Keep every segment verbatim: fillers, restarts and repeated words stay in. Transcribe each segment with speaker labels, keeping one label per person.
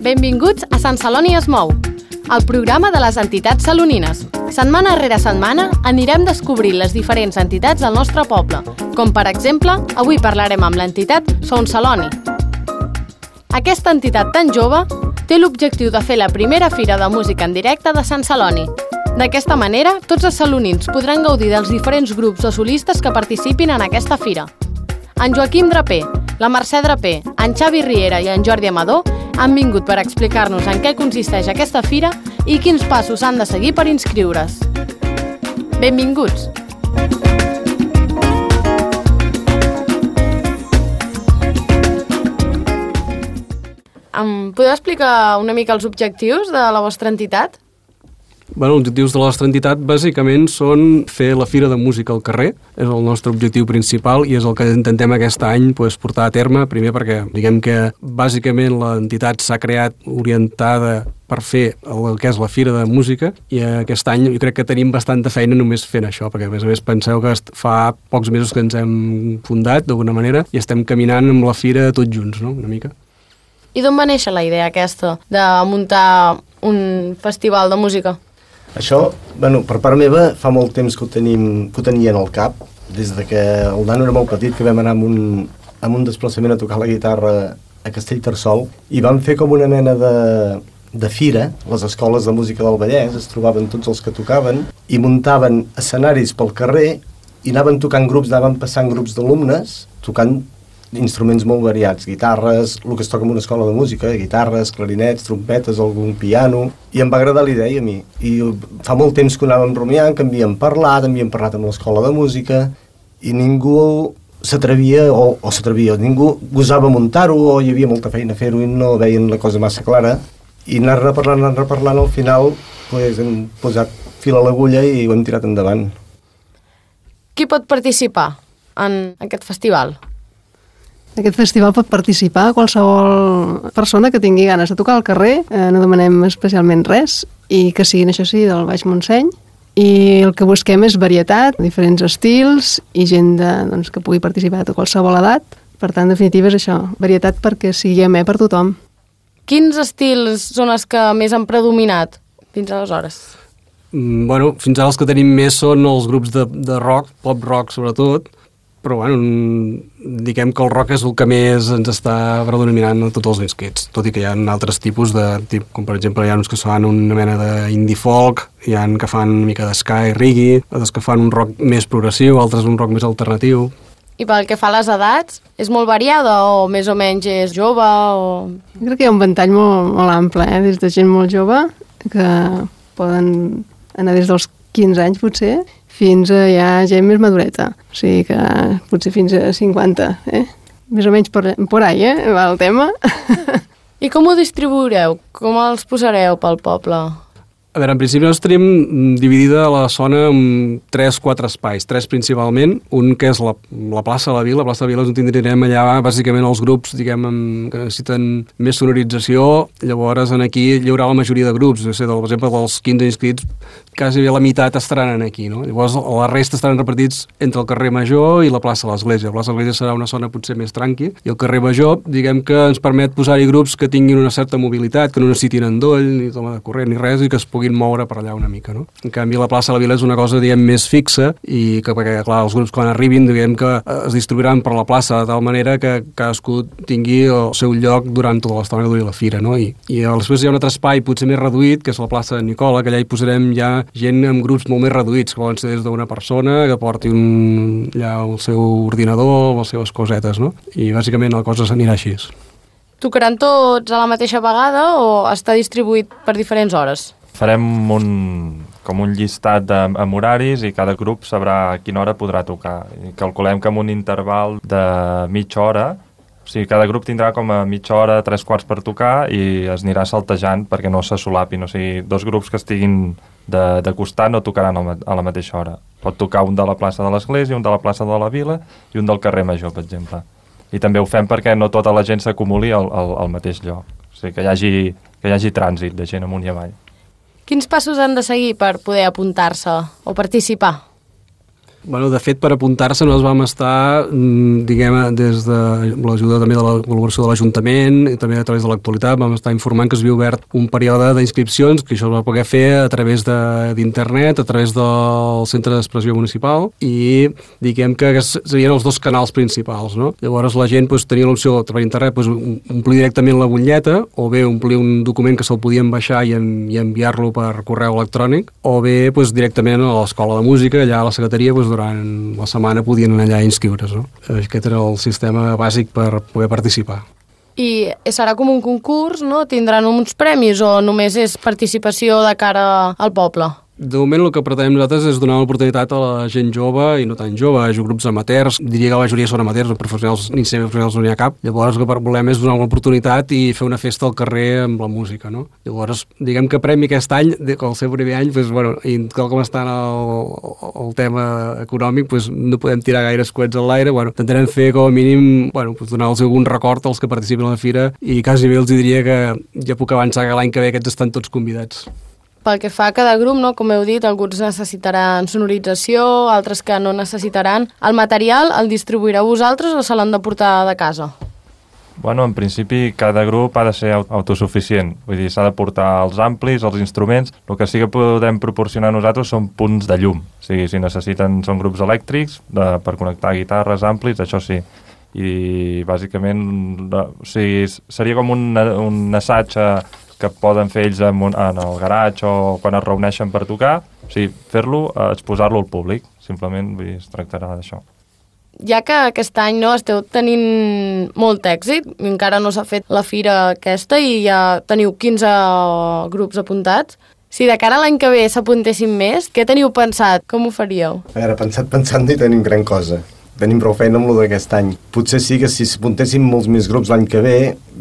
Speaker 1: Benvinguts a Sant Celoni es mou, el programa de les entitats salonines. Setmana rere setmana anirem descobrint les diferents entitats del nostre poble, com per exemple, avui parlarem amb l'entitat Son Celoni. Aquesta entitat tan jove té l'objectiu de fer la primera fira de música en directe de Sant Celoni. D'aquesta manera, tots els salonins podran gaudir dels diferents grups o solistes que participin en aquesta fira. En Joaquim Draper, la Mercè Draper, en Xavi Riera i en Jordi Amador han vingut per explicar-nos en què consisteix aquesta fira i quins passos han de seguir per inscriure's. Benvinguts! Em podeu explicar una mica els objectius de la vostra entitat?
Speaker 2: Bueno, els objectius de la nostra entitat bàsicament són fer la Fira de Música al carrer, és el nostre objectiu principal i és el que intentem aquest any pues, portar a terme, primer perquè diguem que bàsicament l'entitat s'ha creat orientada per fer el que és la Fira de Música i aquest any jo crec que tenim bastanta feina només fent això, perquè a més a més penseu que fa pocs mesos que ens hem fundat d'alguna manera i estem caminant amb la Fira tots junts, no? Una mica.
Speaker 1: I d'on va néixer la idea aquesta de muntar un festival de música?
Speaker 3: Això, bueno, per part meva, fa molt temps que ho, tenim, que ho tenia en el cap, des de que el nano era molt petit, que vam anar amb un, amb un desplaçament a tocar la guitarra a Castellterçol, i vam fer com una mena de, de fira, les escoles de música del Vallès, es trobaven tots els que tocaven, i muntaven escenaris pel carrer, i anaven tocant grups, anaven passant grups d'alumnes, tocant instruments molt variats, guitarres, el que es toca en una escola de música, guitarres, clarinets, trompetes, algun piano, i em va agradar la idea a mi. I fa molt temps que ho anàvem rumiant, que havíem parlat, havíem parlat amb l'escola de música, i ningú s'atrevia, o, o s'atrevia, ningú gosava muntar-ho, o hi havia molta feina a fer-ho i no veien la cosa massa clara, i anar-ne parlant, anar-ne parlant, al final pues, hem posat fil a l'agulla i ho hem tirat endavant.
Speaker 1: Qui pot participar en aquest festival?
Speaker 4: En aquest festival pot participar qualsevol persona que tingui ganes de tocar al carrer, eh, no demanem especialment res, i que siguin, això sí, del Baix Montseny, i el que busquem és varietat, diferents estils, i gent de, doncs, que pugui participar de qualsevol edat. Per tant, en definitiva, és això, varietat perquè sigui amè per tothom.
Speaker 1: Quins estils són els que més han predominat fins aleshores?
Speaker 2: Mm, bueno, fins ara els que tenim més són els grups de, de rock, pop rock sobretot, però bueno, diguem que el rock és el que més ens està predominant a tots els inscrits, tot i que hi ha altres tipus de, tip, com per exemple hi ha uns que fan una mena d'indie folk, hi ha que fan una mica d'sky, reggae, altres que fan un rock més progressiu, altres un rock més alternatiu.
Speaker 1: I pel que fa a les edats, és molt variada o més o menys és jove? O...
Speaker 4: Jo crec que hi ha un ventall molt, molt ample, eh? Des de gent molt jove, que poden anar des dels quinze anys potser, fins a ja gent més madureta. O sigui que potser fins a cinquanta, eh? Més o menys por, por ahí, eh? Va el tema.
Speaker 1: I com ho distribuireu? Com els posareu pel poble?
Speaker 2: A veure, en principi nosaltres tenim dividida la zona en tres, quatre espais, tres principalment, un que és la, la plaça de la Vila, la plaça de la Vila és on tindrem allà bàsicament els grups, diguem, que necessiten més sonorització, llavors aquí hi haurà la majoria de grups, o sigui, per exemple, dels quinze inscrits, quasi la meitat estaran aquí, no? Llavors la resta estaran repartits entre el carrer Major i la plaça de l'Església. La plaça de l'Església serà una zona potser més tranqui, i el carrer Major, diguem que ens permet posar-hi grups que tinguin una certa mobilitat, que no necessitin endoll, ni toma de corrent, ni res, i que es puguin moure per allà una mica, no? En canvi, la plaça de la Vila és una cosa, diguem, més fixa i que, perquè, clar, els grups quan arribin, diguem que es distribuiran per la plaça de tal manera que cadascú tingui el seu lloc durant tota l'estona que duri la fira, no? I, i després hi ha un altre espai potser més reduït, que és la plaça de Nicola, que allà hi posarem ja gent amb grups molt més reduïts, que poden ser des d'una persona que porti un, allà el seu ordinador, les seves cosetes, no? I bàsicament la cosa s'anirà així.
Speaker 1: Tocaran tots a la mateixa vegada o està distribuït per diferents hores?
Speaker 5: Farem un, com un llistat de, amb horaris i cada grup sabrà a quina hora podrà tocar. I calculem que amb un interval de mitja hora, o sigui, cada grup tindrà com a mitja hora, tres quarts per tocar i es anirà saltejant perquè no se solapin. O sigui, dos grups que estiguin de, de costat no tocaran a la mateixa hora. Pot tocar un de la plaça de l'Església, un de la plaça de la Vila i un del carrer Major, per exemple. I també ho fem perquè no tota la gent s'acumuli al, al, al mateix lloc. O sigui, que hi hagi, que hi hagi trànsit de gent amunt i avall.
Speaker 1: Quins passos han de seguir per poder apuntar-se o participar?
Speaker 2: Bueno, de fet, per apuntar-se nosaltres vam estar, diguem, des de l'ajuda també de la col·laboració de l'Ajuntament i també a través de l'actualitat vam estar informant que s'havia obert un període d'inscripcions, que això es va poder fer a través d'internet, a través del Centre d'Expressió Municipal i diguem que serien els dos canals principals, no? Llavors la gent doncs, tenia l'opció per internet doncs, omplir directament la butlleta o bé omplir un document que se'l podien baixar i, en, i enviar-lo per correu electrònic o bé doncs, directament a l'Escola de Música, allà a la secretaria, doncs, durant la setmana podien anar allà a inscriure's. No? Aquest era el sistema bàsic per poder participar.
Speaker 1: I serà com un concurs, no? Tindran uns premis o només és participació de cara al poble?
Speaker 2: De moment el que pretenem nosaltres és donar l'oportunitat a la gent jove i no tan jove, a grups amateurs, diria que la majoria són amateurs, professionals, ni semiprofessionals no n'hi ha cap. Llavors el que volem és donar l'oportunitat i fer una festa al carrer amb la música, no? Llavors, diguem que premi aquest any, el seu primer any, doncs, bueno, i tal com està el, el tema econòmic, doncs, no podem tirar gaires coets a l'aire, bueno, intentarem fer com a mínim, bueno, doncs, donar-los algun record als que participen a la fira i quasi bé els diria que ja puc avançar que l'any que ve aquests estan tots convidats.
Speaker 1: Pel que fa a cada grup, no? Com heu dit, alguns necessitaran sonorització, altres que no necessitaran. El material el distribuireu vosaltres o se l'han de portar de casa?
Speaker 5: Bueno, en principi cada grup ha de ser autosuficient, vull dir, s'ha de portar els amplis, els instruments, el que sí que podem proporcionar nosaltres són punts de llum, o sigui, si necessiten, són grups elèctrics de, per connectar guitarres, amplis, això sí, i bàsicament o sigui, seria com un, un assaig que poden fer ells en, en el garatge o quan es reuneixen per tocar, o sigui, fer-lo, exposar-lo al públic, simplement vull dir, es tractarà d'això.
Speaker 1: Ja que aquest any no esteu tenint molt èxit, encara no s'ha fet la fira aquesta i ja teniu quinze grups apuntats, si de cara a l'any que ve s'apuntessin més, què teniu pensat? Com ho faríeu?
Speaker 3: A veure, pensat, pensant no hi tenim gran cosa. Tenim prou feina amb lo d'aquest any. Potser sí que si s'apuntessin molts més grups l'any que ve,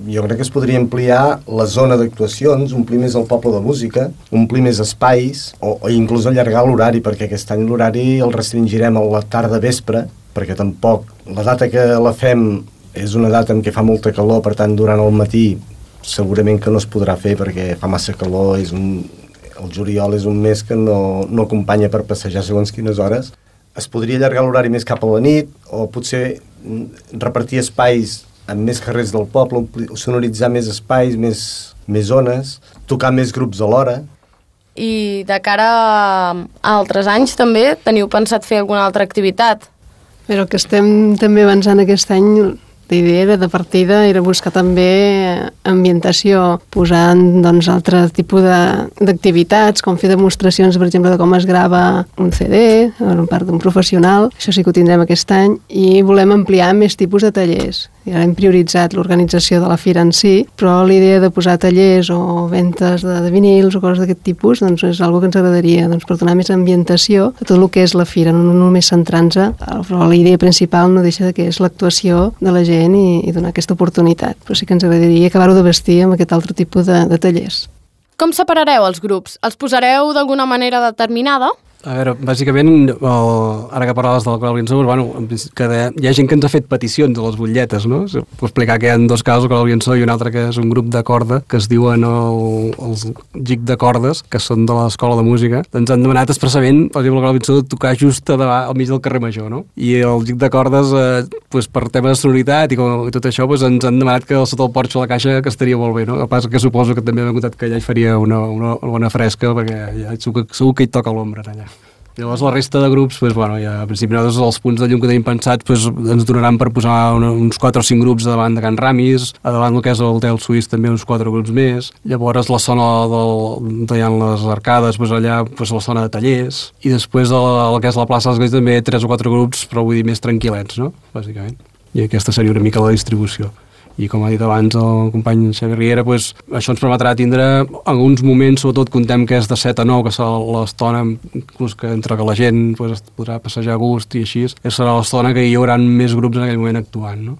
Speaker 3: jo crec que es podria ampliar la zona d'actuacions, omplir més el poble de música, omplir més espais, o, o inclús allargar l'horari, perquè aquest any l'horari el restringirem a la tarda vespre, perquè tampoc la data que la fem és una data en què fa molta calor, per tant, durant el matí segurament que no es podrà fer perquè fa massa calor, és un, el juliol és un mes que no, no acompanya per passejar segons quines hores. Es podria allargar l'horari més cap a la nit o potser repartir espais en més carrers del poble, sonoritzar més espais, més, més zones, tocar més grups alhora.
Speaker 1: I de cara a altres anys també teniu pensat fer alguna altra activitat?
Speaker 4: Però el que estem també avançant aquest any, la idea era de partida era buscar també ambientació, posant doncs, altre tipus d'activitats, com fer demostracions, per exemple, de com es grava un C D, per part d'un professional, això sí que ho tindrem aquest any, i volem ampliar més tipus de tallers. I ara hem prioritzat l'organització de la fira en si, però l'idea de posar tallers o ventes de, de vinils o coses d'aquest tipus doncs és una que ens agradaria doncs, per donar més ambientació a tot el que és la fira, no només centrant-se, però la idea principal no deixa de que és l'actuació de la gent i, i donar aquesta oportunitat, però sí que ens agradaria acabar-ho de vestir amb aquest altre tipus de, de tallers.
Speaker 1: Com separareu els grups? Els posareu d'alguna manera determinada?
Speaker 2: A veure, bàsicament, el, ara que parlaves de la Coral Briançó, bueno, que de, hi ha gent que ens ha fet peticions a les butlletes, no? Puc explicar que hi ha dos casos, el Coral Briançó i un altre que és un grup de corda, que es diuen el, els Gic de Cordes, que són de l'Escola de Música. Ens han demanat expressament, per exemple, el Coral Briançó, de tocar just a davant, al mig del carrer Major, no? I el Gic de Cordes, eh, pues, per tema de sonoritat i, com, i tot això, pues, ens han demanat que sota el porxo de la caixa que estaria molt bé, no? El que passa que suposo que també m'han contat que allà hi faria una, una, una bona fresca, perquè ja, segur, segur que hi toca l'ombra allà. Llavors la resta de grups, doncs, bueno, ja, al principi nosaltres els punts de llum que tenim pensats doncs, ens donaran per posar una, uns quatre o cinc grups davant de Can Ramis, a davant del que és l'Hotel Suís també uns quatre grups més, llavors la zona del, de les arcades, doncs, allà doncs, la zona de tallers, i després el, el que és la plaça de l'Església també tres o quatre grups, però vull dir més tranquil·lets, no? Bàsicament. I aquesta seria una mica la distribució. I com ha dit abans el company Xavi Riera, doncs, això ens permetrà tindre alguns moments, sobretot contem que és de set a nou, que serà l'estona inclús que entre que la gent doncs, podrà passejar a gust i així, serà l'estona que hi haurà més grups en aquell moment actuant, no?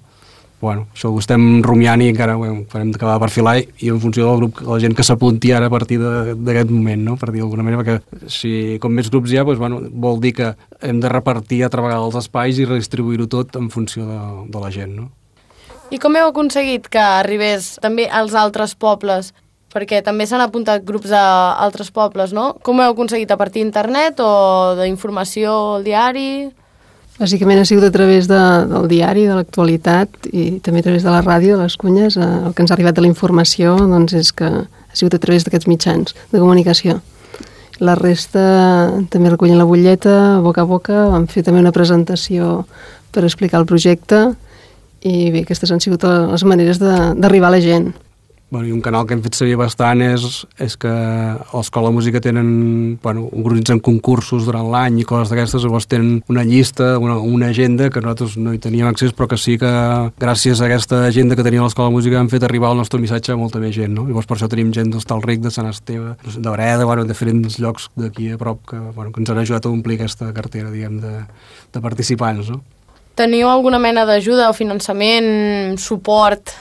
Speaker 2: Bueno, això ho estem rumiant i encara bueno, farem d'acabar de perfilar i en funció del grup, la gent que s'apunti ara a partir d'aquest moment, no? Per dir d'alguna manera, perquè si com més grups hi ha, doncs, bueno, vol dir que hem de repartir altra vegada els espais i redistribuir-ho tot en funció de, de la gent, no?
Speaker 1: I com heu aconseguit que arribés també als altres pobles? Perquè també s'han apuntat grups d'altres pobles, no? Com ho heu aconseguit? A partir d'internet o d'informació al diari?
Speaker 4: Bàsicament ha sigut a través de, del diari, de l'actualitat i també a través de la ràdio, de les cunyes. El que ens ha arribat de la informació doncs, és que ha sigut a través d'aquests mitjans de comunicació. La resta també recullen la butlleta, boca a boca, vam fer també una presentació per explicar el projecte i bé, aquestes han sigut les maneres d'arribar a la gent.
Speaker 2: Bueno, i un canal que hem fet servir bastant és, és que a l'Escola de Música tenen, bueno, organitzen concursos durant l'any i coses d'aquestes, llavors tenen una llista, una, una agenda que nosaltres no hi teníem accés, però que sí que gràcies a aquesta agenda que tenia a l'Escola de Música hem fet arribar el nostre missatge a molta més gent, no? Llavors per això tenim gent d'Hostalric, de Sant Esteve, de Breda, bueno, de diferents llocs d'aquí a prop que, bueno, que ens han ajudat a omplir aquesta cartera, diguem, de, de participants, no?
Speaker 1: Teniu alguna mena d'ajuda o finançament, suport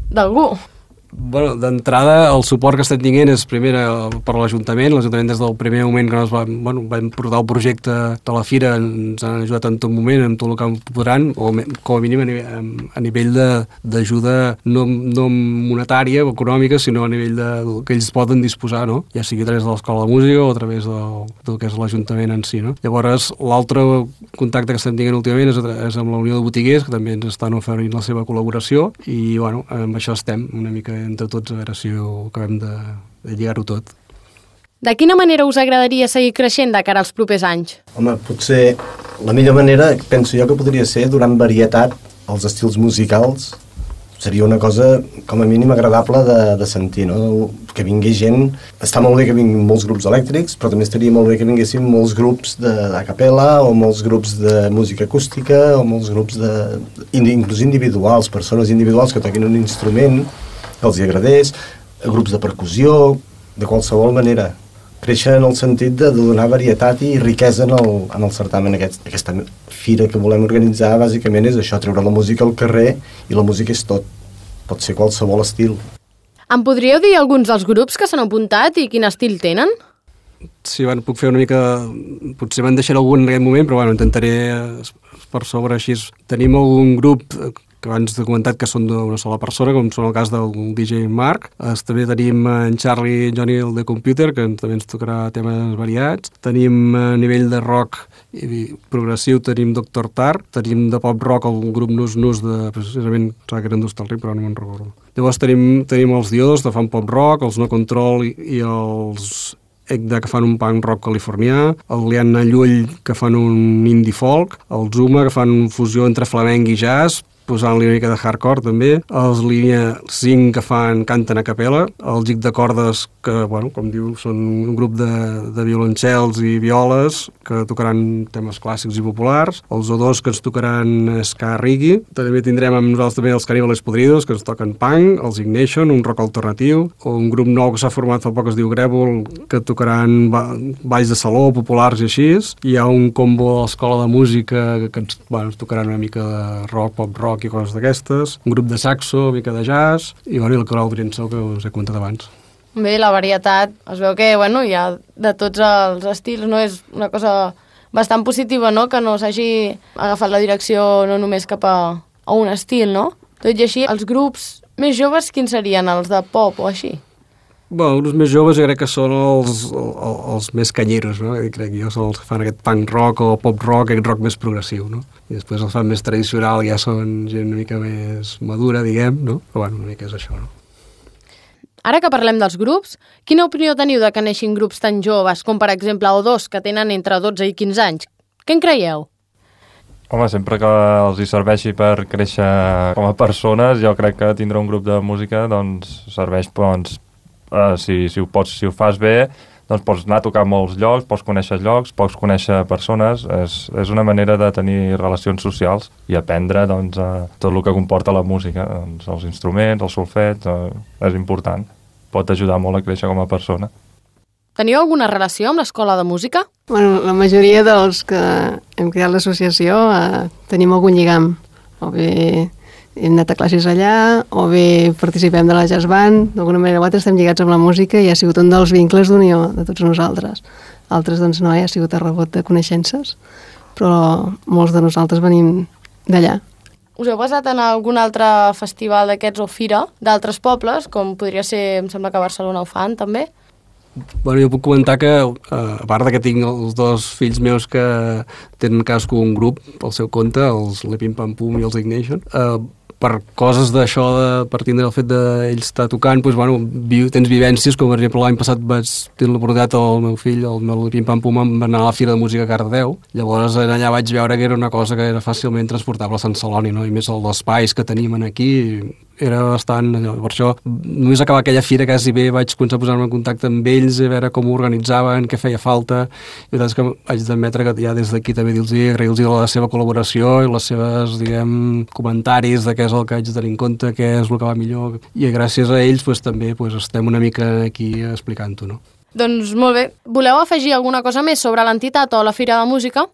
Speaker 1: d'algú?
Speaker 2: Bueno, d'entrada, el suport que estem tinguent és primer per l'Ajuntament. L'Ajuntament des del primer moment que ens va, bueno, vam portar el projecte de la Fira ens han ajudat en tot moment, en tot el que podran, o com a mínim a nivell, a nivell d'ajuda no, no monetària o econòmica, sinó a nivell de, que ells poden disposar, no? Ja sigui a través de l'Escola de Música o a través del, del que és l'Ajuntament en si, no? Llavors, l'altre contacte que estem tinguent últimament és, és amb la Unió de Botiguers, que també ens estan oferint la seva col·laboració, i bueno, amb això estem una mica entre tots, a veure si ho acabem de, de lligar-ho tot.
Speaker 1: De quina manera us agradaria seguir creixent de cara als propers anys?
Speaker 3: Home, potser la millor manera, penso jo que podria ser donant varietat als estils musicals. Seria una cosa, com a mínim, agradable de, de sentir, no? Que vingui gent... Està molt bé que vinguin molts grups elèctrics, però també estaria molt bé que vinguessin molts grups a capella o molts grups de música acústica o molts grups de... inclús individuals, persones individuals que toquin un instrument que els hi agradés, grups de percussió, de qualsevol manera. Créixer en el sentit de donar varietat i riquesa en el, en el certamen. Aquest, aquesta fira que volem organitzar, bàsicament, és això, treure la música al carrer, i la música és tot. Pot ser qualsevol estil.
Speaker 1: Em podríeu dir alguns dels grups que s'han apuntat i quin estil tenen?
Speaker 2: Sí, bueno, puc fer una mica... Potser me'n deixaré algun en aquest moment, però bueno, intentaré per sobre així. Tenim algun grup que abans he comentat que són d'una sola persona, com són el cas del D J Marc. Es, també tenim en Charlie Johnny, el de Computer, que també ens tocarà temes variats. Tenim a nivell de rock i progressiu, tenim Doctor Tar. Tenim de pop rock el grup Nus Nus, de, precisament, que eren d'Hostalric, però no me'n recordo. Llavors tenim, tenim els Diodos, que fan pop rock, els No Control i, i els Egda, que fan un punk rock californià, el Liana Llull, que fan un indie folk, el Zuma, que fan fusió entre flamenc i jazz, posant-li una mica de hardcore també, els Línia cinc que fan canten a capella, el Gic de Cordes que, bueno, com diu, són un grup de, de violoncels i violes que tocaran temes clàssics i populars, els O dos que ens tocaran ska reggae, també tindrem amb nosaltres també els Caníbales Podridos que ens toquen punk, els Ignition, un rock alternatiu, o un grup nou que s'ha format fa poc es diu Grèvol, que tocaran balls de saló, populars i així. Hi ha un combo de l'Escola de Música que ens, bueno, ens tocaran una mica de rock, pop rock i coses d'aquestes, un grup de saxo, una mica de jazz, i bueno, el coral Briensó que us he comentat abans.
Speaker 1: Bé, la varietat, es veu que bueno, hi ha de tots els estils, no? És una cosa bastant positiva, no?, que no s'hagi agafat la direcció no només cap a, a un estil, no? Tot i així, els grups més joves, quins serien? Els de pop o així?
Speaker 2: Bueno, els més joves jo crec que són els, els, els més canyeros, no? I crec que jo són els que fan aquest punk rock o pop rock, aquest rock més progressiu, no? I després els fan més tradicional, ja són gent una mica més madura, diguem, no? Però bueno, una mica és això, no?
Speaker 1: Ara que parlem dels grups, quina opinió teniu de que neixin grups tan joves, com per exemple O dos, que tenen entre dotze i quinze anys? Què en creieu?
Speaker 5: Home, sempre que els hi serveixi per créixer com a persones, jo crec que tindre un grup de música doncs serveix, doncs, Uh, si, si, ho pots, si ho fas bé, doncs pots anar a tocar molts llocs, pots conèixer llocs, pots conèixer persones, és, és una manera de tenir relacions socials i aprendre doncs, uh, tot el que comporta la música, doncs, els instruments, el solfeig, uh, és important, pot ajudar molt a créixer com a persona.
Speaker 1: Teniu alguna relació amb l'Escola de Música?
Speaker 4: Bueno, la majoria dels que hem creat l'associació uh, tenim algun lligam, o bé hem anat a classes allà, o bé participem de la jazz band, d'alguna manera o altra estem lligats amb la música i ha sigut un dels vincles d'unió de tots nosaltres. Altres, doncs, no, ha sigut a rebot de coneixences, però molts de nosaltres venim d'allà.
Speaker 1: Us heu basat en algun altre festival d'aquests o fira d'altres pobles, com podria ser, em sembla que a Barcelona ho fan també?
Speaker 2: Bueno, jo puc comentar que, a part de que tinc els dos fills meus que tenen cadascú un grup pel seu compte, els Lepim Pam Pum i els Ignition, eh, per coses d'això, de, per tindre el fet d'ells estar tocant, doncs, bueno, vi, tens vivències, com per exemple l'any passat vaig tenir l'oportunitat al meu fill, el meu Lepim Pam Pum, va anar a la Fira de Música a Cardedeu, llavors allà vaig veure que era una cosa que era fàcilment transportable a Sant Celoni, no? I més els espais que tenim aquí, era bastant, per això només acabar aquella fira quasi bé vaig començar a posar-me en contacte amb ells, a veure com ho organitzaven, què feia falta, i la veritat és que haig d'admetre que ja des d'aquí també dir-los agrair-los la seva col·laboració i les seves, diguem, comentaris de què és el que haig de tenir en compte, què és el que va millor, i gràcies a ells pues, també pues, estem una mica aquí explicant-ho, no?
Speaker 1: Doncs molt bé. Voleu afegir alguna cosa més sobre l'entitat o la Fira de Música?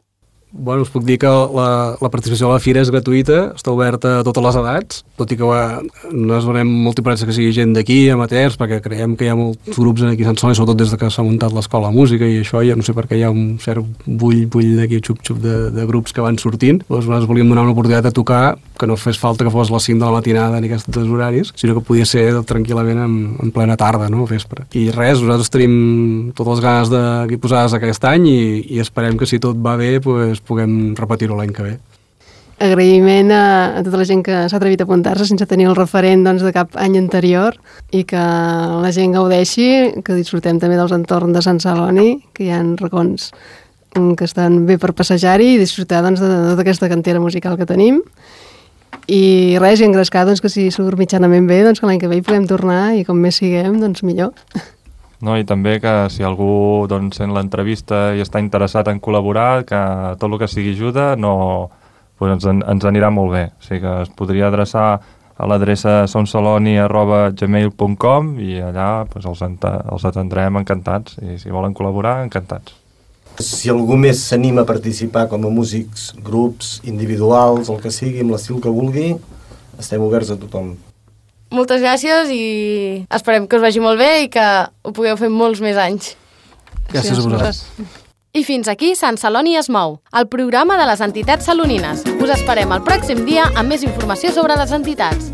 Speaker 2: Bueno, us puc dir que la, la participació a la fira és gratuïta, està oberta a totes les edats, tot i que va, nosaltres donem molta importància que sigui gent d'aquí, amateurs, perquè creiem que hi ha molts grups aquí a Sant Celoni, sobretot des de que s'ha muntat l'escola de música i això, ja no sé per què hi ha un cert bull, bull d'aquí, xup-xup de, de grups que van sortint. Doncs nosaltres volíem donar una oportunitat de tocar, que no fes falta que fos a les cinc de la matinada ni aquests horaris, sinó que podia ser tranquil·lament en, en plena tarda, no?, vespre. I res, nosaltres tenim totes les ganes de posar-les aquest any i, i esperem que si tot va bé, pues, puguem repetir-ho l'any que ve.
Speaker 4: Agraïment a, a tota la gent que s'ha atrevit a apuntar-se sense tenir el referent doncs, de cap any anterior i que la gent gaudeixi, que disfrutem també dels entorns de Sant Celoni, que hi ha racons que estan bé per passejar-hi i disfrutar doncs, de, de tota aquesta cantera musical que tenim. I res, i engrescar doncs, que si surt mitjanament bé, doncs, que l'any que ve hi puguem tornar i com més siguem, doncs millor.
Speaker 5: No, i també que si algú doncs, sent l'entrevista i està interessat en col·laborar, que tot el que sigui ajuda no, doncs ens, ens anirà molt bé. O sigui que es podria adreçar a l'adreça sonceloni arroba gmail punt com i allà doncs, els, els atendrem encantats i si volen col·laborar, encantats.
Speaker 3: Si algú més s'anima a participar com a músics, grups, individuals, el que sigui, amb l'estil que vulgui, estem oberts a tothom.
Speaker 1: Moltes gràcies i esperem que us vagi molt bé i que ho pugueu fer molts més anys.
Speaker 2: Gràcies a vosaltres.
Speaker 1: I fins aquí Sant Celoni es mou, el programa de les entitats salonines. Us esperem el pròxim dia amb més informació sobre les entitats.